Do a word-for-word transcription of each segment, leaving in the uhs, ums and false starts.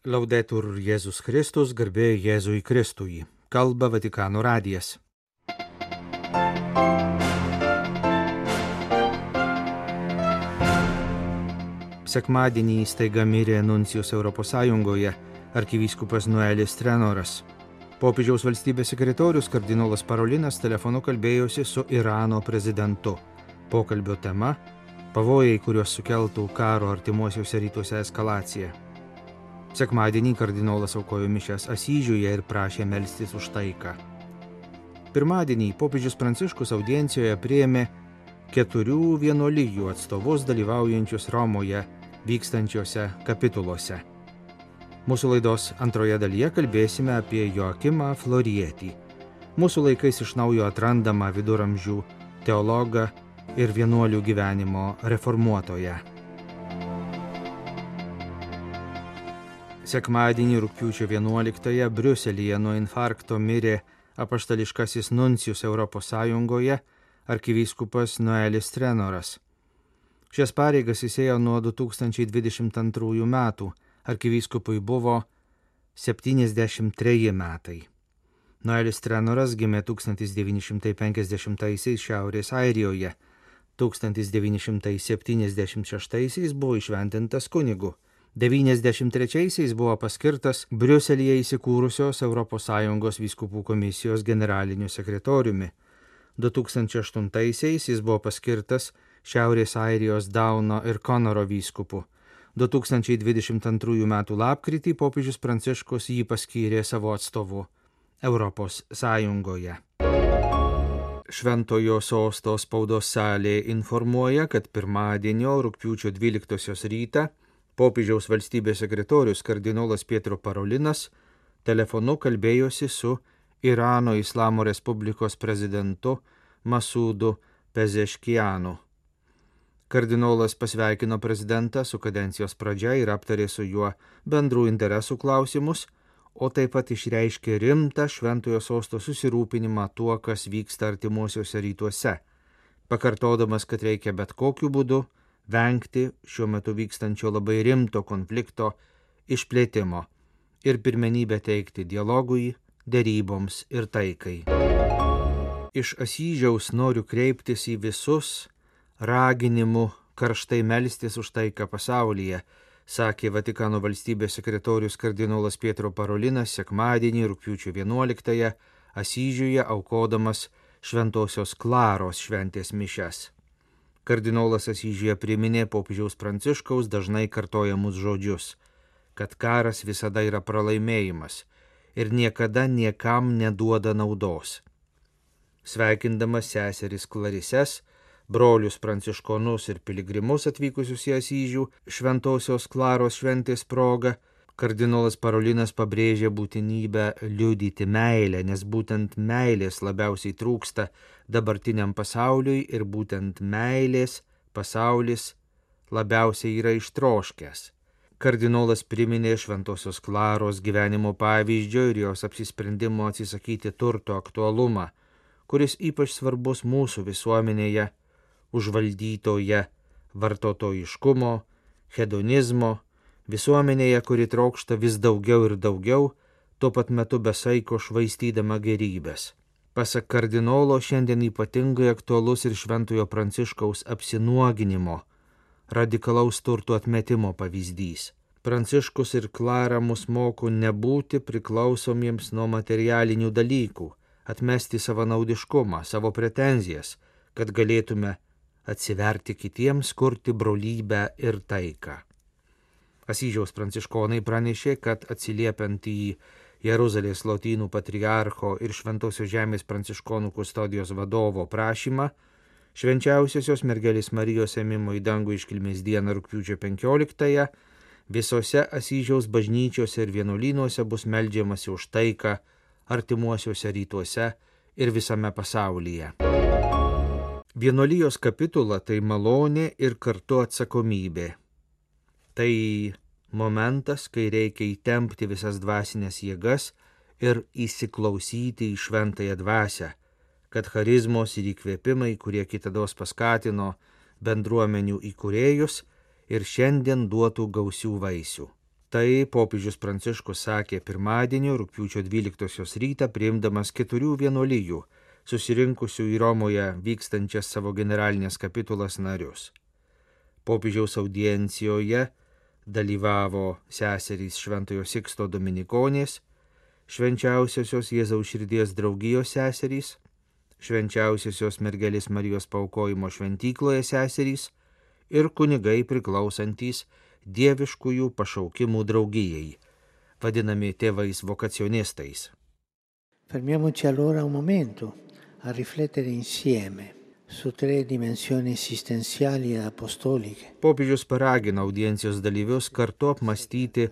Laudetur Jėzus Kristus, garbė Jėzui Kristui. Kalba Vatikano radijas. Sekmadienį staiga mirė nuncijus Europos Sąjungoje arkivyskupas Noelis Trenoras. Popiežiaus valstybės sekretorius kardinolas Parolinas telefonu kalbėjosi su Irano prezidentu. Pokalbio tema – pavojai, kuriuos sukeltų karo artimuosiuose rytuose eskalacija. Sekmadienį kardinolas aukojo mišias Asyžiuje ir prašė melstis už taiką. Pirmadienį popiežius Pranciškus audiencijoje priėmė keturių vienuolijų atstovus dalyvaujančius Romoje vykstančiose kapituluose. Mūsų laidos antroje dalyje kalbėsime apie Joakimą Florietį, mūsų laikais iš naujo atrandamą viduramžių teologą ir vienuolių gyvenimo reformuotoją. Sekmadienį rugpjūčio vienuoliktąją Briuselyje nuo infarkto mirė apaštališkasis nuncijus Europos Sąjungoje arkivyskupas Noelis Trenoras. Šias pareigas jis ėjo nuo du tūkstančiai dvidešimt antrųjų metų, arkivyskupui buvo septyniasdešimt treji metai. Noelis Trenoras gimė tūkstantis devyni šimtai penkiasdešimtaisiais Šiaurės Airijoje, tūkstantis devyni šimtai septyniasdešimt šeštaisiais buvo įšventintas kunigu. devyniasdešimt trečiaisiais buvo paskirtas Briuselyje įsikūrusios Europos Sąjungos vyskupų komisijos generaliniu sekretoriumi. du tūkstančiai aštuntaisiais jis buvo paskirtas Šiaurės Airijos Dauno ir Konoro vyskupu. du tūkstančiai dvidešimt antrųjų metų lapkritį popiežius Pranciškus jį paskyrė savo atstovu Europos Sąjungoje. Šventojo sosto spaudos salė informuoja, kad pirmadienio rugpjūčio dvyliktosios rytą popiežiaus valstybės sekretorius kardinolas Pietro Parolinas telefonu kalbėjosi su Irano Islamo Respublikos prezidentu Masudu Pezeškianu. Kardinolas pasveikino prezidentą su kadencijos pradžia ir aptarė su juo bendrų interesų klausimus, o taip pat išreiškė rimtą šventojo sosto susirūpinimą tuo, kas vyksta artimuosiuose rytuose, pakartodamas, kad reikia bet kokiu būdu vengti šiuo metu vykstančio labai rimto konflikto išplėtimo ir pirmenybę teikti dialogui, deryboms ir taikai. Iš Asyžiaus noriu kreiptis į visus raginimu karštai melstis už taiką pasaulyje, sakė Vatikano valstybės sekretorius kardinolas Pietro Parolinas sekmadienį rugpjūčio vienuoliktąją Asyžiuje aukodamas Šventosios Klaros šventės mišias. Kardinolas Asyžiuje priminė popiežiaus Pranciškaus dažnai kartojamus žodžius, kad karas visada yra pralaimėjimas ir niekada niekam neduoda naudos. Sveikindamas seseris Klarises, brolius pranciškonus ir piligrimus atvykusius į Asyžių Šventosios Klaros šventės proga, kardinolas Parolinas pabrėžė būtinybę liudyti meilę, nes būtent meilės labiausiai trūksta dabartiniam pasauliui ir būtent meilės pasaulis labiausiai yra ištroškęs. Kardinolas priminė Šventosios Klaros gyvenimo pavyzdžio ir jos apsisprendimo atsisakyti turto aktualumą, kuris ypač svarbus mūsų visuomenėje, užvaldytoje vartotojiškumo, hedonizmo, visuomenėje, kuri trokšta vis daugiau ir daugiau, tuo pat metu besaiko švaistydama gerybės. Pasak kardinolo, šiandien ypatingai aktualus ir Šventojo Pranciškaus apsinuoginimo, radikalaus turto atmetimo pavyzdys. Pranciškus ir Klara mus moko nebūti priklausomiems nuo materialinių dalykų, atmesti savanaudiškumą, savo pretenzijas, kad galėtume atsiverti kitiems, kurti brolybę ir taiką. Asyžiaus pranciškonai pranešė, kad atsiliepiant į Jeruzalės lotynų patriarcho ir Šventosios žemės pranciškonų kustodijos vadovo prašymą, švenčiausiosios mergelės Marijos ėmimo į dangų iškilmės dieną rugpjūčio penkioliktąją visose Asyžiaus bažnyčiose ir vienuolynuose bus meldžiamasi už taiką artimuosiuose rytuose ir visame pasaulyje. Vienuolijos kapitula tai malonė ir kartu atsakomybė. Tai momentas, kai reikia įtempti visas dvasinės jėgas ir įsiklausyti į šventąją dvasią, kad charizmos ir įkvėpimai, kurie kitados paskatino bendruomenių įkūrėjus ir šiandien duotų gausių vaisių. Tai popiežius Pranciškus sakė pirmadienio rugpjūčio dvyliktosios rytą priimdamas keturių vienuolijų susirinkusių į Romoje vykstančias savo generalinės kapitulas narius. Popiežiaus audiencijoje dalyvavo seserys Šventojo Siksto Dominikonės, Švenčiausiosios Jėzaus širdies draugijos seserys, Švenčiausiosios mergelės Marijos paaukojimo šventykloje seserys ir kunigai priklausantys dieviškųjų pašaukimų draugijai, vadinami tėvais vokacionistais. Fermiamoci allora un momento a riflettere insieme su tre dimensioni esistenziali ed apostoliche. Popiežius paragino audiencijos dalyvius kartu apmastyti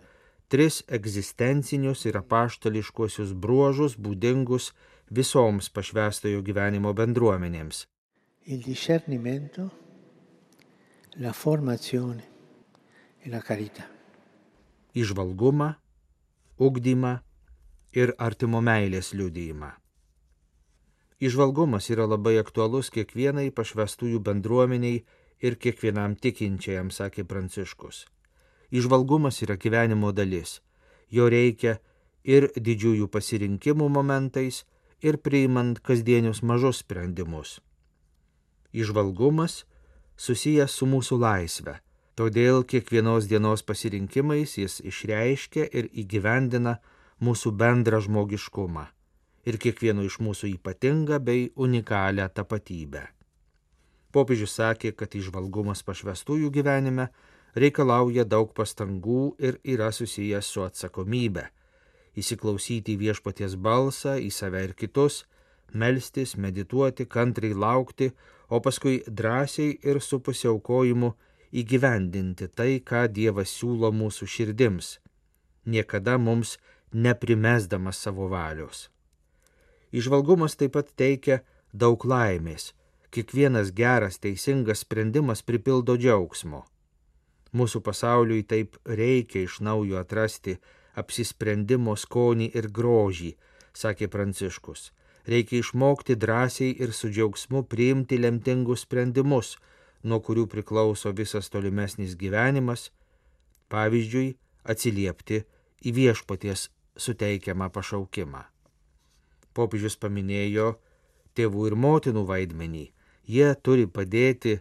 tris egzistencinius ir apaštališkuosius bruožus būdingus visoms pašvęstojo gyvenimo bendruomenėms. Il discernimento, la formazione e la carità. Įžvalgumą, ugdymą ir artimo meilės liudijimą. Įžvalgumas yra labai aktualus kiekvienai pašvęstųjų bendruomeniai ir kiekvienam tikinčiajam, sakė Pranciškus. Įžvalgumas yra gyvenimo dalis. Jo reikia ir didžiųjų pasirinkimų momentais, ir priimant kasdienius mažus sprendimus. Įžvalgumas susijęs su mūsų laisve, todėl kiekvienos dienos pasirinkimais jis išreiškia ir įgyvendina mūsų bendrą žmogiškumą ir kiekvieno iš mūsų ypatingą bei unikalią tapatybę. Popiežius sakė, kad įžvalgumas pašvęstųjų gyvenime reikalauja daug pastangų ir yra susijęs su atsakomybe. Įsiklausyti į viešpaties balsą, į save ir kitus, melstis, medituoti, kantriai laukti, o paskui drąsiai ir su pasiaukojimu įgyvendinti tai, ką Dievas siūlo mūsų širdims, niekada mums neprimesdamas savo valios. Įžvalgumas taip pat teikia daug laimės. Kiekvienas geras, teisingas sprendimas pripildo džiaugsmo. Mūsų pasauliui taip reikia iš naujo atrasti apsisprendimo skonį ir grožį, sakė Pranciškus. Reikia išmokti drąsiai ir su džiaugsmu priimti lemtingus sprendimus, nuo kurių priklauso visas tolimesnis gyvenimas, pavyzdžiui, atsiliepti į viešpaties suteikiamą pašaukimą. Popiežius paminėjo tėvų ir motinų vaidmenį. Jie turi padėti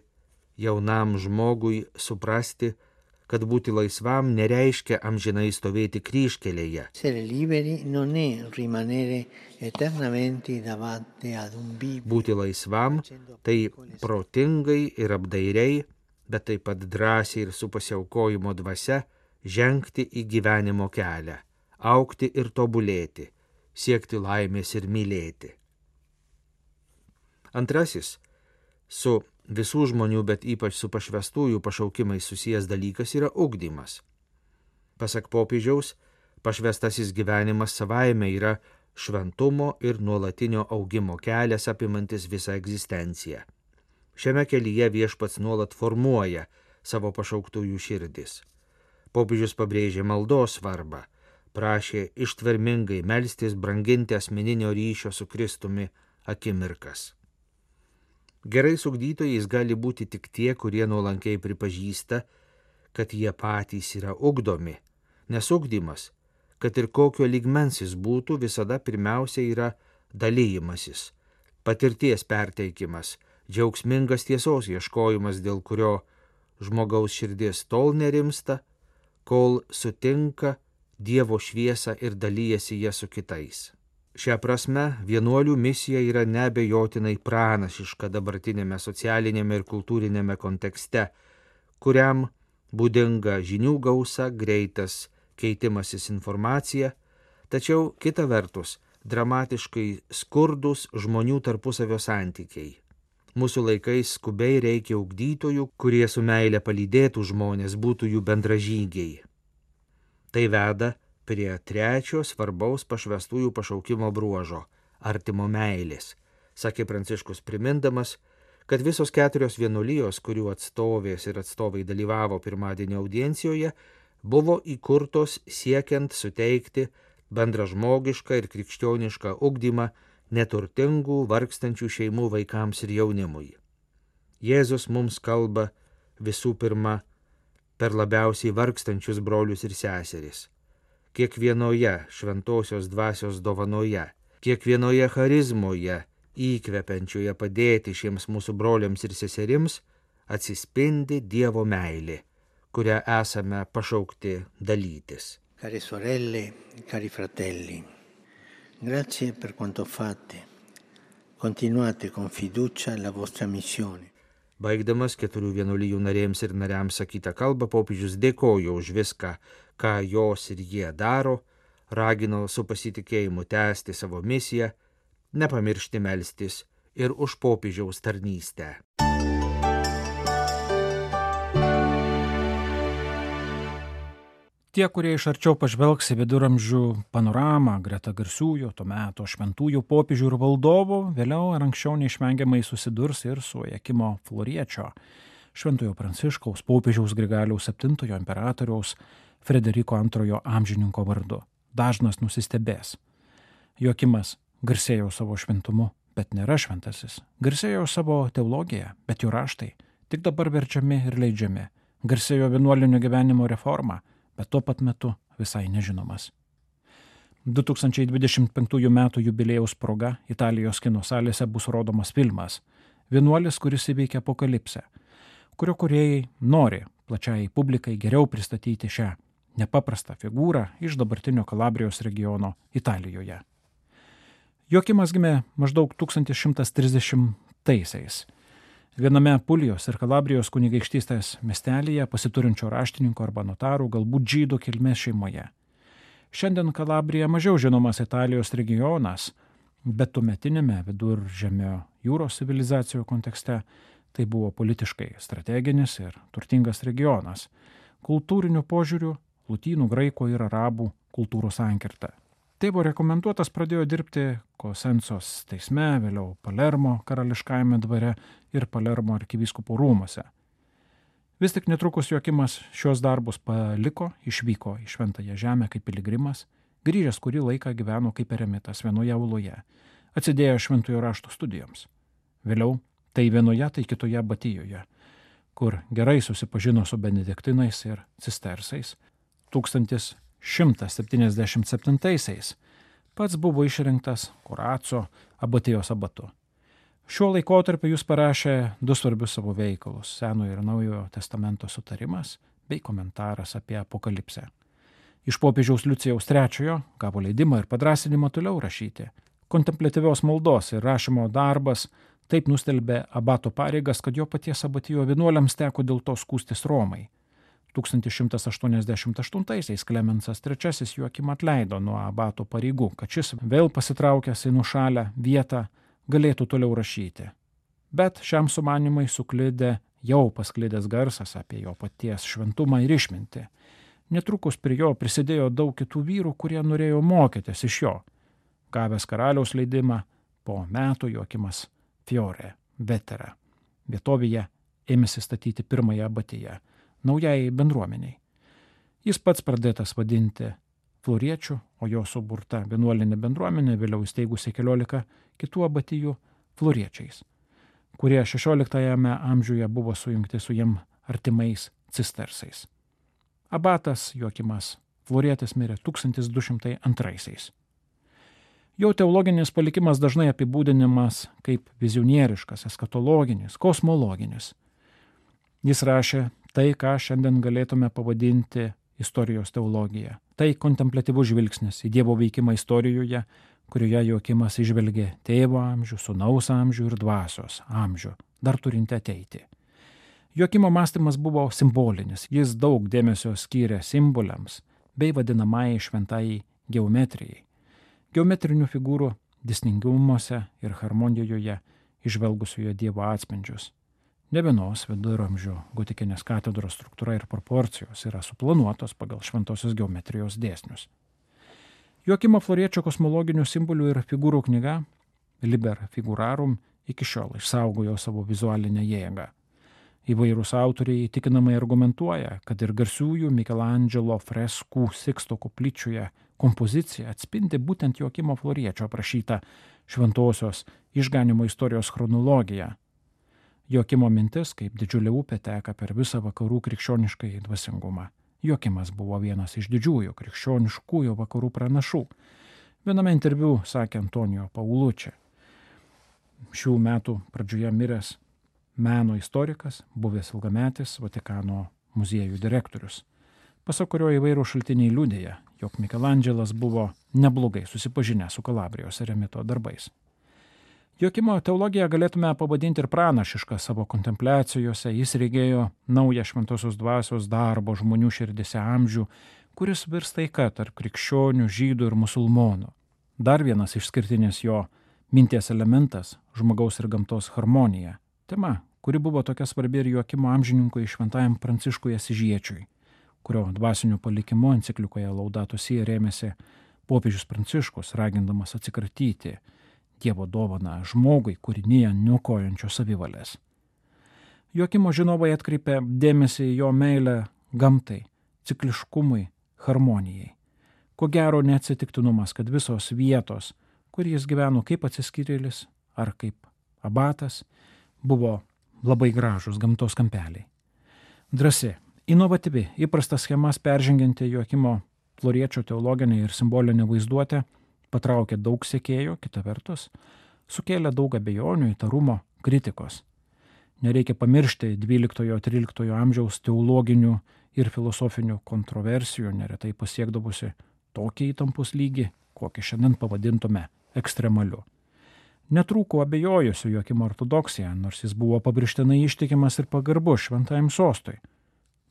jaunam žmogui suprasti, kad būti laisvam nereiškia amžinai stovėti kryžkelėje. Būti laisvam tai protingai ir apdairiai, bet taip pat drąsiai ir su pasiaukojimo dvasia žengti į gyvenimo kelią, augti ir tobulėti, siekti laimės ir mylėti. Antrasis, su visų žmonių, bet ypač su pašvęstųjų pašaukimais susijęs dalykas yra ugdymas. Pasak popiežiaus, pašvęstasis gyvenimas savaime yra šventumo ir nuolatinio augimo kelias apimantis visą egzistenciją. Šiame kelyje viešpats nuolat formuoja savo pašauktųjų širdis. Popiežius pabrėžė maldos svarbą, prašė ištvermingai melstis, branginti asmeninio ryšio su Kristumi akimirkas. Gerais ugdytojais gali būti tik tie, kurie nuolankiai pripažįsta, kad jie patys yra ugdomi, nes ugdymas, kad ir kokio lygmens jis būtų, visada pirmiausia yra dalyjimasis, patirties perteikimas, džiaugsmingas tiesos ieškojimas, dėl kurio žmogaus širdis tol nerimsta, kol sutinka Dievo šviesą ir dalyjasi ją su kitais. Šią prasme, vienuolių misija yra neabejotinai pranašiška dabartinėme socialinėme ir kultūrinėme kontekste, kuriam būdinga žinių gausa, greitas keitimasis informacija, tačiau kita vertus dramatiškai skurdus žmonių tarpusavio santykiai. Mūsų laikais skubiai reikia ugdytojų, kurie su meile palydėtų žmonės, būtų jų bendražygiai. Tai veda prie trečio svarbaus pašvęstųjų pašaukimo bruožo – artimo meilės, sakė Pranciškus primindamas, kad visos keturios vienuolijos, kurių atstovės ir atstovai dalyvavo pirmadienio audiencijoje, buvo įkurtos siekiant suteikti bendražmogišką ir krikščionišką ugdymą neturtingų, vargstančių šeimų vaikams ir jaunimui. Jėzus mums kalba visų pirma per labiausiai vargstančius brolius ir seseris. Kiekvienoje šventosios dvasios dovanoje, kiekvienoje charizmoje, įkvepiančioje padėti šiems mūsų broliams ir seserims, atsispindi Dievo meilė, kurią esame pašaukti dalytis. Care sorelle, cari fratelli, grazie per quanto fate. Continuate con fiducia la vostra missione. Baigdamas keturių vienuolijų narėms ir nariams sakytą kalbą, popiežius dėkojo už viską, ką jos ir jie daro, ragino su pasitikėjimu tęsti savo misiją, nepamiršti melstis ir už popiežiaus tarnystę. Tie, kurie iš arčiau pažvelgs į viduramžių panoramą greta garsiųjų to meto šventųjų popiežių ir valdovų, vėliau ar anksčiau neišvengiamai susidurs ir su Joakimo Floriečio, šventojo Pranciškaus popiežiaus Grigaliaus septintojo imperatoriaus Frederiko antrojo amžininko vardu. Dažnas nusistebės. Joakimas garsėjo savo šventumu, bet nėra šventasis. Garsėjo savo teologiją, bet jų raštai tik dabar verčiami ir leidžiami. Garsėjo vienuolinio gyvenimo reformą, bet tuo pat metu visai nežinomas. du tūkstančiai dvidešimt penktųjų metų jubiliejaus proga Italijos kino salėse bus rodomas filmas Vienuolis, kuris įveikia apokalipsę, kurio kūrėjai nori plačiai publikai geriau pristatyti šią nepaprastą figūrą iš dabartinio Kalabrijos regiono Italijoje. Joakimas gimė maždaug tūkstantis šimtas trisdešimtaisiais. Viename Pulijos ir Kalabrijos kunigaikštystės miestelyje pasiturinčio raštininko arba notarų, galbūt žydų kilmės šeimoje. Šiandien Kalabrija mažiau žinomas Italijos regionas, bet tuometinėme viduržemio jūros civilizacijų kontekste tai buvo politiškai strateginis ir turtingas regionas, kultūriniu požiūriu lotynų, graikų ir arabų kultūros sankirta. Tėvo rekomenduotas pradėjo dirbti Kosensos teisme, vėliau Palermo karališkajame dvare ir Palermo arkivyskupo rūmuose. Vis tik netrukus Joakimas šios darbus paliko, išvyko į Šventąją žemę kaip piligrimas, grįžęs kurį laiką gyveno kaip eremitas vienoje uloje, atsidėjo šventojo rašto studijoms. Vėliau tai vienoje, tai kitoje abatijoje, kur gerai susipažino su benediktinais ir cistersais. tūkstantis šimtas septyniasdešimt septintaisiais pats buvo išrinktas Kuraco abatijos abatu. Šiuo laikotarpiu jis parašė du svarbius savo veikalus – Senojo ir Naujojo testamento sutarimas bei komentaras apie apokalipsę. Iš popiežiaus Liucijaus trečiojo gavo leidimą ir padrąsinimą toliau rašyti. Kontempliatyvios maldos ir rašymo darbas taip nustelbė abato pareigas, kad jo paties abatijo vienuoliams teko dėl to skųstis Romai. tūkstantis šimtas aštuoniasdešimt aštuntaisiais Klemensas trečiasis Joakimą atleido nuo abato pareigų, kad šis vėl pasitraukęs į nušalę vietą galėtų toliau rašyti. Bet šiam sumanimai suklidė jau pasklidęs garsas apie jo paties šventumą ir išmintį. Netrukus prie jo prisidėjo daug kitų vyrų, kurie norėjo mokytis iš jo. Gavęs karaliaus leidimą, po metų Joakimas Fiore, Vetera, vietovėje ėmėsi statyti pirmąją abatiją, naujai bendruomeniai. Jis pats pradėtas vadinti Floriečių, o jo suburta vienuolinė bendruomenė vėliau įsteigusi keliolika kitų abatijų Floriečiais, kurie šešioliktajame amžiuje buvo sujungti su jam artimais cistersais. Abatas Joakimas Florietis mirė tūkstantis du šimtai antraisiais. Jo teologinis palikimas dažnai apibūdinimas kaip vizionieriškas, eskatologinis, kosmologinis. Jis rašė tai, ką šiandien galėtume pavadinti istorijos teologija. Tai kontempliatyvus žvilgsnis į Dievo veikimą istorijoje, kurioje Joakimas išvelgė tėvo amžių, sūnaus amžių ir dvasios amžių, dar turinti ateiti. Joakimo mąstymas buvo simbolinis, jis daug dėmesio skyrė simboliams bei vadinamai šventai geometrijai. Geometrinių figūrų dėsningumuose ir harmonijoje išvelgusioje Dievo atspindžius. Ne vienos viduramžių gotikinės katedros struktūra ir proporcijos yra suplanuotos pagal šventosios geometrijos dėsnius. Joakimo Floriečio kosmologinių simbolių ir figūrų knyga Liber Figurarum iki šiol išsaugojo savo vizualinę jėgą. Įvairūs autoriai įtikinamai argumentuoja, kad ir garsiųjų Mikelandželo freskų Siksto koplyčioje kompozicija atspindi būtent Joakimo Floriečio aprašytą šventosios išganimo istorijos chronologiją. Joakimo mintis, kaip didžiulė upė teka per visą vakarų krikščioniškąjį dvasingumą. Joakimas buvo vienas iš didžiųjų krikščioniškųjų vakarų pranašų. Viename interviu sakė Antonijo Paulučia, šių metų pradžioje miręs meno istorikas, buvęs ilgametis Vatikano muziejų direktorius, pasak kurio įvairūs šaltiniai liudija, jog Mikelandželas buvo neblogai susipažinęs su Kalabrijos eremito darbais. Joakimo teologiją galėtume pavadinti ir pranašišką savo kontempliacijose. Jis regėjo naują šventosios dvasios darbo žmonių širdise amžių, kuris virs taika tarp krikščionių, žydų ir musulmonų. Dar vienas išskirtinis jo minties elementas – žmogaus ir gamtos harmonija. Tema, kuri buvo tokia svarbi ir Joakimo amžininkui šventajam Pranciškui Asyžiečiui, kurio dvasiniu palikimu enciklikoje Laudato Si rėmėsi popiežius Pranciškus, ragindamas atsikratyti Dievo dovaną žmogui kūrinyje niokojančio savivalės. Joakimo žinovai atkreipė dėmesį į jo meilę gamtai, cikliškumui, harmonijai. Ko gero neatsitiktinumas, kad visos vietos, kur jis gyveno kaip atsiskyrėlis ar kaip abatas, buvo labai gražus gamtos kampeliai. Drąsi, inovatyvi, įprastas schemas peržengianti Joakimo Floriečio teologinė ir simbolinė vaizduotė patraukė daug sekėjų, kita vertus, sukėlė daug abejonių, įtarumo, kritikos. Nereikia pamiršti dvyliktojo-tryliktojo amžiaus teologinių ir filosofinių kontroversijų, neretai pasiekdavusi tokį įtampos lygį, kokį šiandien pavadintume ekstremaliu. Netrūko abejojusių Joakimo ortodoksija, nors jis buvo pabrėžtinai ištikimas ir pagarbus šventajam sostui.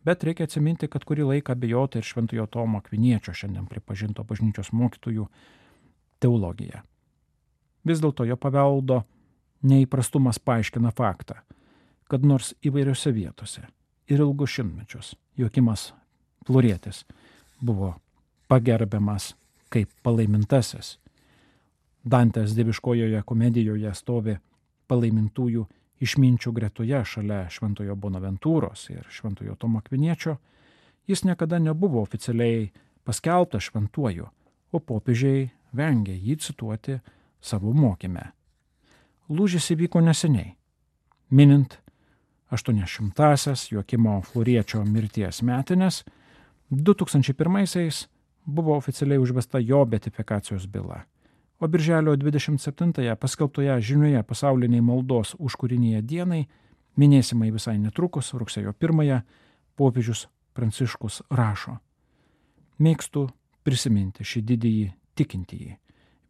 Bet reikia atsiminti, kad kurį laiką abejota ir šventojo Tomo Akviniečio, šiandien pripažinto bažnyčios mokytojų, teologija. Vis dėlto jo paveldo neįprastumas paaiškina faktą, kad nors įvairiose vietose ir ilgus šimtmečius Joakimas Florietis buvo pagerbiamas kaip palaimintasis. Dantės dieviškojoje komedijoje stovi palaimintųjų išminčių gretoje šalia šventojo Bonaventūros ir šventojo Tomo Akviniečio, jis niekada nebuvo oficialiai paskelbtas šventuoju, o popiežiai vengė jį cituoti savo mokyme. Lūžis įvyko neseniai, minint aštuoniasdešimtąsias Joakimo Floriečio mirties metines, du tūkstančiai pirmaisiais buvo oficialiai užvesta jo beatifikacijos byla, o birželio dvidešimt septintąją paskelbtoje žinioje pasauliniai maldos už kūriniją dienai, minėsimai visai netrukus, rugsėjo pirmąją, popiežius Pranciškus rašo: Mėgstu prisiminti šį didįjį tikintįjį,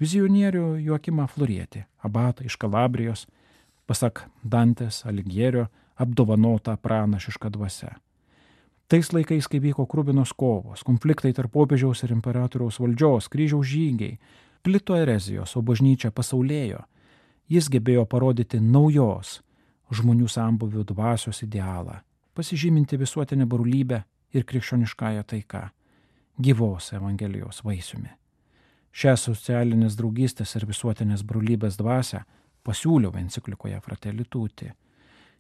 vizionierių Joakimą Florietį, abatą iš Kalabrijos, pasak Dantės Aligjerio, apdovanotą pranašišką dvasią. Tais laikais, kai vyko kruvinos kovos, konfliktai tarp popiežiaus ir imperatoriaus valdžios, kryžiaus žygiai, plito erezijos, o bažnyčia pasaulėjo, jis gebėjo parodyti naujos žmonių sambūvių dvasios idealą, pasižyminti visuotinę brolybę ir krikščioniškąją taiką, gyvos Evangelijos vaisiumi. Šią socialinės draugystės ir visuotinės brolybės dvasią pasiūliau enciklikoje Fratelli Tutti.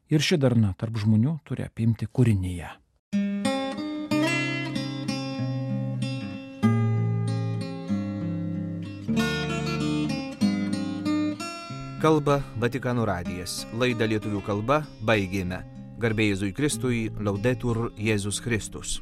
Ir ši darna tarp žmonių turi apimti kūrinyje. Kalba Vatikano radijas. Laidą lietuvių kalba baigėme. Garbė Jėzui Kristui, Laudetur Jėzus Kristus.